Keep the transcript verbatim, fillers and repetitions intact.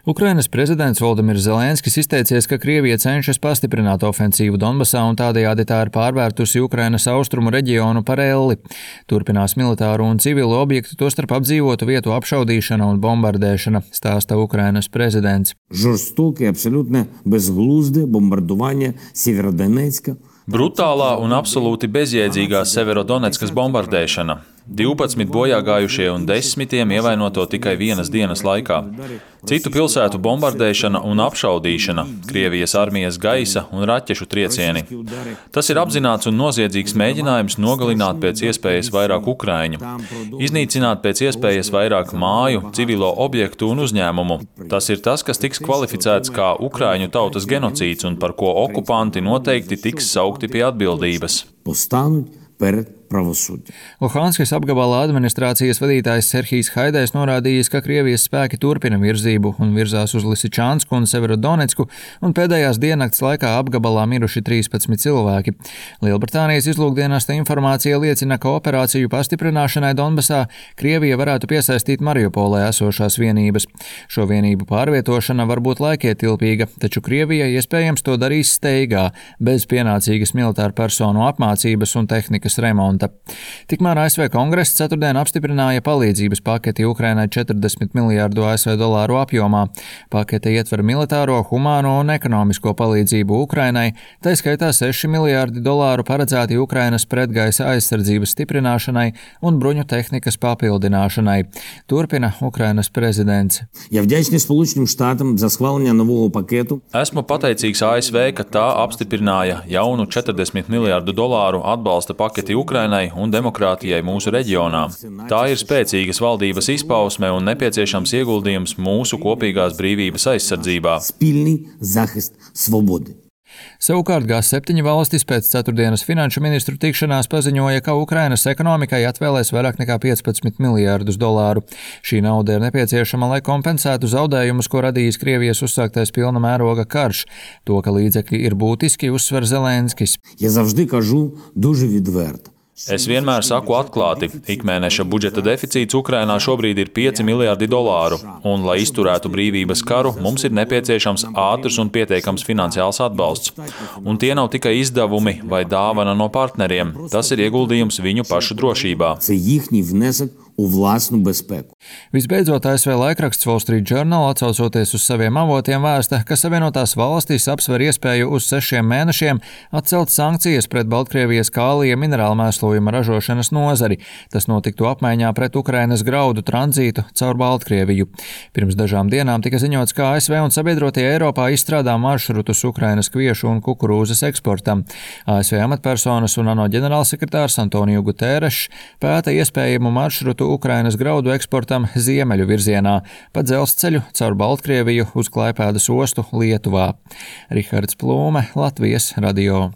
Ukrainas prezidents Voldimirs Zelenskis izteicies, ka Krievija cenšas pastiprināt ofensīvu Donbasā un tādējādi tā ir pārvērtusi Ukrainas austrumu reģionu par elli. Turpinās militāru un civilu objektu, tostarp apdzīvotu vietu apšaudīšana un bombardēšana, stāsta Ukrainas prezidents. Жорстоке, абсолютно безглузде bombardovanie Severodonetska. Brutālā un absolūti bezjēdzīgā Severodonetskas bombardēšana. divpadsmit bojāgājušie un desmitiem ievainoto tikai vienas dienas laikā. Citu pilsētu bombardēšana un apšaudīšana, Krievijas armijas gaisa un raķešu triecieni. Tas ir apzināts un noziedzīgs mēģinājums nogalināt pēc iespējas vairāk ukraiņu, iznīcināt pēc iespējas vairāk māju, civilo objektu un uzņēmumu. Tas ir tas, kas tiks kvalificēts kā ukraiņu tautas genocīds un par ko okupanti noteikti tiks saukti pie atbildības. Luhanskis apgabalā administrācijas vadītājs Serhijs Haidais norādījis, ka Krievijas spēki turpina virzību un virzās uz Lisičansku un Severodonetsku, un pēdējās diennakts laikā apgabalā miruši trīspadsmit cilvēki. Lielbritānijas izlūkdienesta informācija liecina, ka operāciju pastiprināšanai Donbasā Krievija varētu piesaistīt Mariupolē esošās vienības. Šo vienību pārvietošana var būt laikietilpīga, taču Krievija iespējams to darīs steigā, bez pienācīgas militāru personu apmācības un tehnikas remonta. Tikmēr A S V Kongress ceturtdien apstiprināja palīdzības paketi Ukrainai četrdesmit miljārdu A S V dolāru apjomā. Pakete ietver militāro, humāno un ekonomisko palīdzību Ukrainai, tā skaitā seši miljārdi dolāru paredzēti Ukrainas pretgaisa aizsardzības stiprināšanai un bruņu tehnikas papildināšanai. Turpina Ukrainas prezidents. Esmu pateicīgs A S V, ka tā apstiprināja jaunu četrdesmit miljārdu dolāru atbalsta paketi Ukrainai un demokrātijai mūsu reģionā. Tā ir spēcīgas valdības izpausme un nepieciešams ieguldījums mūsu kopīgās brīvības aizsardzībā. Savukārt G septiņi valstis pēc ceturtdienas finanšu ministru tikšanās paziņoja, ka Ukrainas ekonomikai atvēlēs vairāk nekā piecpadsmit miljārdus dolāru. Šī nauda ir nepieciešama, lai kompensētu zaudējumus, ko radījis Krievijas uzsāktais pilna mēroga karš. To, ka līdzekļi ir būtiski, uzsver Zelenskis. Es vienmēr saku atklāti, ikmēneša budžeta deficīts Ukrainā šobrīd ir pieci miljārdi dolāru, un, lai izturētu brīvības karu, mums ir nepieciešams ātrs un pietiekams finansiāls atbalsts. Un tie nav tikai izdevumi vai dāvana no partneriem, tas ir ieguldījums viņu pašu drošībā. Visbeidzot, A S V laikraksts Wall Street Journal, atsaucoties uz saviem avotiem, vēsta, ka Savienotās valstis apsver iespēju uz sešiem mēnešiem atcelt sankcijas pret Baltkrievijas kālija minerālu mēslojuma ražošanas nozari. Tas notiktu apmaiņā pret Ukrainas graudu tranzītu caur Baltkrieviju. Pirms dažām dienām tika ziņots, ka A S V un sabiedrotie Eiropā izstrādā maršrutus Ukrainas kviešu un kukurūzas eksportam. A S V amatpersonas un ANO ģenerālsekretārs Antoniju Guterešs pēta iespējamu maršrutu Ukrainas graudu eksportam ziemeļu virzienā, pa dzelzceļu caur Baltkrieviju uz Klaipēdas ostu Lietuvā. Rihards Plūme, Latvijas radio.